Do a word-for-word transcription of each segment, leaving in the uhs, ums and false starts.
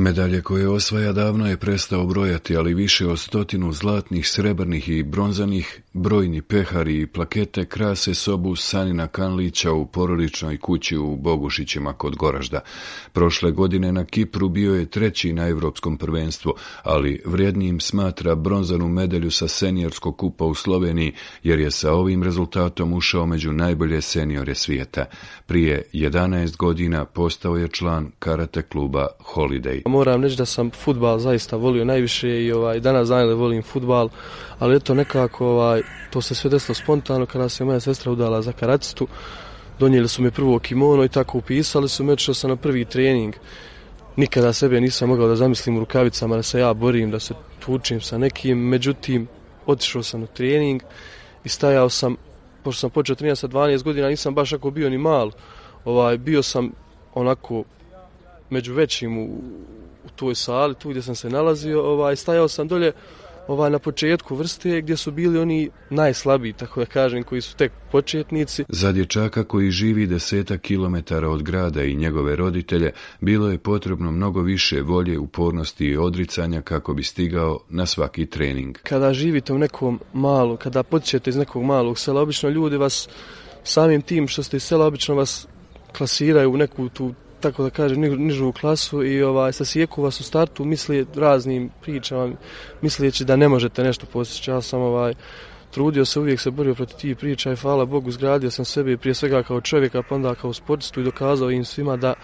Medalje koje osvaja davno je prestao brojati, ali više od stotinu zlatnih, srebrnih i bronzanih, brojni pehari i plakete krase sobu Sanina Kanlića u porodičnoj kući u Bogušićima kod Goražda. Prošle godine na Kipru bio je treći na Evropskom prvenstvu, ali vrijednijim smatra bronzanu medalju sa seniorskog kupa u Sloveniji, jer je sa ovim rezultatom ušao među najbolje seniore svijeta. Prije jedanaest godina postao je član karate kluba Holiday. Moram reći da sam fudbal zaista volio najviše i ovaj, danas znam da volim fudbal, ali eto nekako ovaj, to se sve desilo spontano kada se moja sestra udala za karatistu. Donijeli su mi prvo kimono i tako upisali su me, odšao sam na prvi trening. Nikada sebe nisam mogao da zamislim u rukavicama da se ja borim, da se tučim sa nekim, međutim otišao sam na trening i stajao sam, pošto sam počeo trenirati sa dvanaest godina, nisam baš ako bio ni mal, ovaj, bio sam onako među većim u, u toj sali, tu gdje sam se nalazio, ovaj, stajao sam dolje ovaj, na početku vrste gdje su bili oni najslabiji, tako da kažem, koji su tek početnici. Za dječaka koji živi desetak kilometara od grada i njegove roditelje, bilo je potrebno mnogo više volje, upornosti i odricanja kako bi stigao na svaki trening. Kada živite u nekom malu, kada potičete iz nekog malog sela, obično ljudi vas, samim tim što ste iz sela, obično vas klasiraju u neku tu, tako da kažem, nižu klasu i ovaj, sasijeku vas u startu misli raznim pričama, misleći da ne možete nešto postići. Ja sam ovaj, trudio se, uvijek se borio protiv tih priča i hvala Bogu zgradio sam sebe prije svega kao čovjeka, pa onda kao sportistu i dokazao im svima da,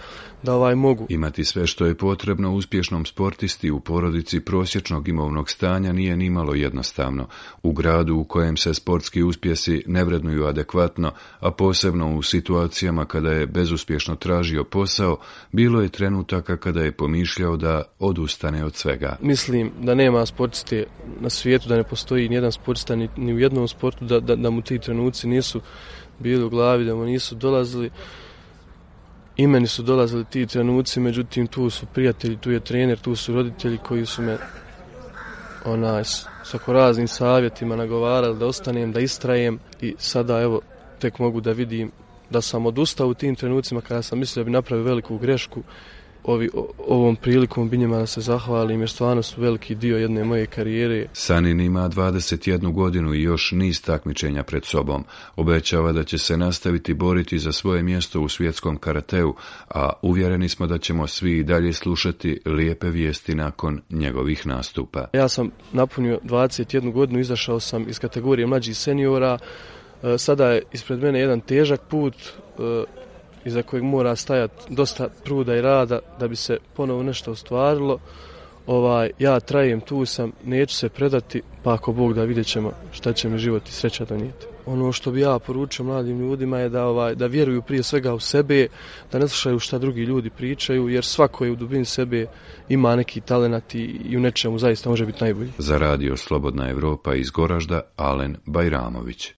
da ovaj mogu. Imati sve što je potrebno uspješnom sportisti u porodici prosječnog imovnog stanja nije nimalo jednostavno. U gradu u kojem se sportski uspjesi ne vrednuju adekvatno, a posebno u situacijama kada je bezuspješno tražio posao, bilo je trenutaka kada je pomišljao da odustane od svega. Mislim da nema sportiste na svijetu, da ne postoji nijedan sportista ni, ni u jednom sportu, da, da, da mu ti trenuci nisu bili u glavi, da mu nisu dolazili. I meni su dolazili ti trenuci, međutim tu su prijatelji, tu je trener, tu su roditelji koji su me onaj, s oko raznim savjetima nagovarali da ostanem, da istrajem i sada evo tek mogu da vidim da sam odustao u tim trenucima kada sam mislio da bi napravio veliku grešku. Ovi, o, ovom prilikom bi njima da se zahvalim jer stvarno su veliki dio jedne moje karijere. Sanin ima dvadeset jednu godinu i još niz takmičenja pred sobom. Obećava da će se nastaviti boriti za svoje mjesto u svjetskom karateu, a uvjereni smo da ćemo svi i dalje slušati lijepe vijesti nakon njegovih nastupa. Ja sam napunio dvadeset jednu godinu, izašao sam iz kategorije mlađih seniora. Sada je ispred mene jedan težak put iza kojeg mora stajati dosta truda i rada da bi se ponovo nešto ostvarilo. Ovaj, ja trajem, tu sam, neću se predati, pa ako Bog da, vidjet ćemo šta će mi život i sreća donijeti. Ono što bi ja poručio mladim ljudima je da, ovaj, da vjeruju prije svega u sebe, da ne slušaju šta drugi ljudi pričaju, jer svako je u dubini sebe ima neki talenat i, i u nečemu zaista može biti najbolji. Za radio Slobodna Evropa iz Goražda, Alen Bajramović.